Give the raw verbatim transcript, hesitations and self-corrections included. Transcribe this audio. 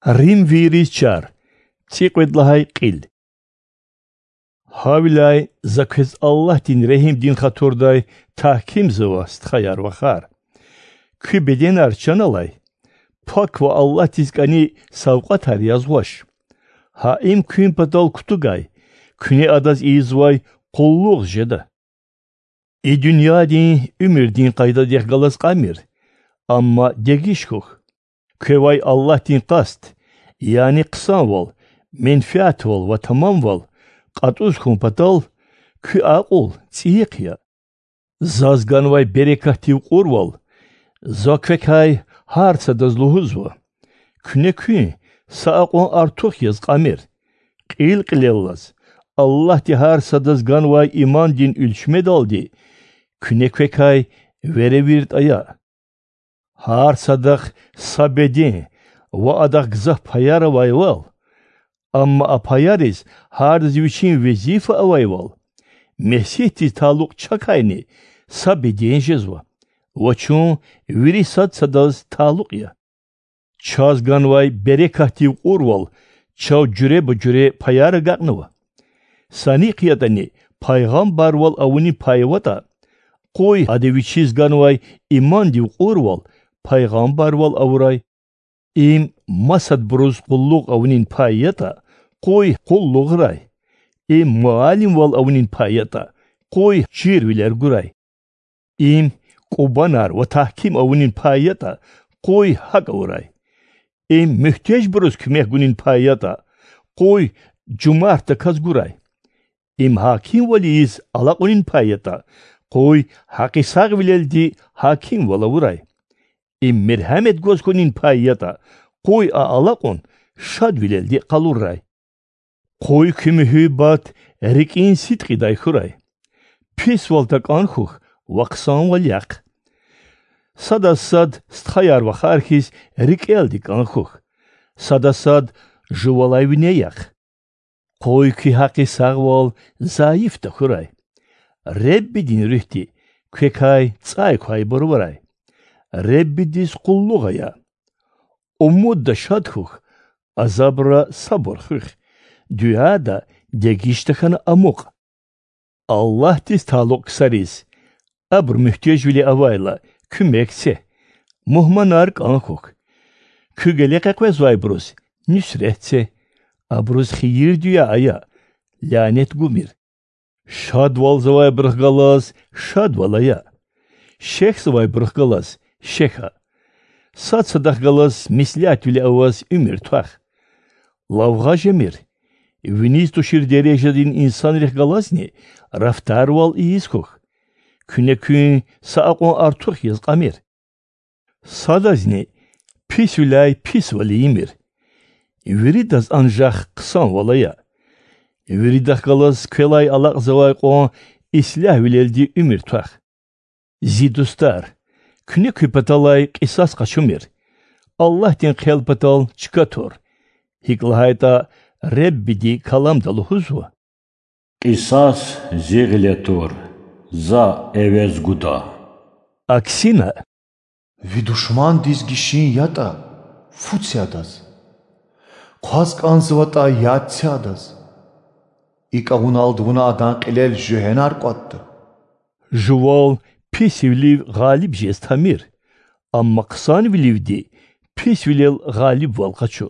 Римвийриз чар. ЦӀикьвед лагьай кьил. Гьавиляй За квез Аллагьдин регьимдин хатурдай тагькимзава, стхаяр-вахар. Куь беденар чан алай, пак ва Аллагьдиз кӀани савкьватар язгъач. Гьа им куьн патал кутугай, куьне адаз ийизвай къуллугъ жеда. И дуьньядин уьмуьрдин къайдадихъ галаз кьамир, амма дегиш хьухь. Квевай Аллагьдин къаст, яни хъсанвал, менфятвал ва тамамвал кьатӀуз хьун патал, куь акьул цӀийихъ я. Заз ганвай берекатдив кьурвал За квекай гьар садаз лугьузва: куьне куьн са акьван артух яз кьамир. Кьил-кьилеллаз, Аллагьди гьар садаз ганвай имандин уьлчмедалди куьне квекай веревирд ая. Гьар садахъ са беден ва адахъ гзаф паяр авайвал, амма а паяриз гьардаз вичин везифа авайвал, Месигьдиз талукь чакайни са беден жезва ва чун вири сад садаз талукь я. Чаз ганвай берекатдив кьурвал чав жуьреба-жуьре паяр агакьнава. Санихъ ятӀани пайгъамбарвал авунин пай аватӀа, къуй ада вичиз ганвай имандив кьурвал пайгъамбарвал авурай. Им масадбуруз къуллугъ авунин пай ятӀа, къуй къуллугърай. Им муаллимвал авунин пай ятӀа, къуй чирвилер гурай. Им кӀубанар ва тагьким авунин пай ятӀа, къуй гьакӀ авурай. Им муьгьтежбуруз куьмек гунин пай ятӀа, къуй жумартдаказ гурай. Им гьакимвал ийиз алакьунин пай ятӀа, къуй гьакъисагъвилелди гьакимвал авурай. Им мергьямет гваз хьунин пай ятӀа, къуй а алакьун шадвилелди къалурай. Къуй куь муьгьуьббат рикӀин сидкьидай хьурай. Писвал такӀан хьухь ва хъсанвал яхъ. Садаз сад стхаяр-вахар хьиз рикӀелди кӀан хьухь, садаз сад жувалай вине яхъ. Къуй куь гьакъисагъвал зайиф тахьурай. Реббидин Руьгьди квекай цӀай квайбур авурай. Реббидиз къуллугъ ая. Умудда шад хьухь, азабра сабур хуьх, дуьада дегиш тахьана амукь. Аллагьдиз талукь ксариз, абуру муьгьтежвиле авайла, куьмек це, мугьманар кӀан хьухь. Куь геле къекъвезвайбуруз нуьсрет це, абуруз хийир-дуьа ая, лянет гумир. Шадвалзавайбурухъ галаз шадвал ая, шехьзавайбурухъ галаз шехьа. Сад садахъ галаз меслятвиле аваз уьмуьр твах. Лавгъа жемир, виниз тушир дережадин инсанрихъ галазни рафтарвал ийиз хьухь. Куьне куьн са акьван артух яз кьамир. Садазни писвиляй писвал ийимир. Виридаз анжах хъсанвал ая. Виридахъ галаз квелай алакьзавай кьван ислягьвилелди уьмуьр твах. Зи дустар, куьне куь паталай кьисас къачумир, Аллагьдин хъел патал чка тур, гьикӀ лагьайтӀа Реббиди Каламда лугьузва: Кьисас зи гъиле тур, За эвез гуда. Аксина: Ви душмандиз гишин ятӀа, фу це адаз, хъваз кӀанзаватӀа, яд це адаз. ИкӀ авуналди вуна адан кьилел жуьгьенар кӀватӀда. Жувал писвилив гъалиб жез тамир, амма хъсанвиливди писвилел гъалибвал къачу.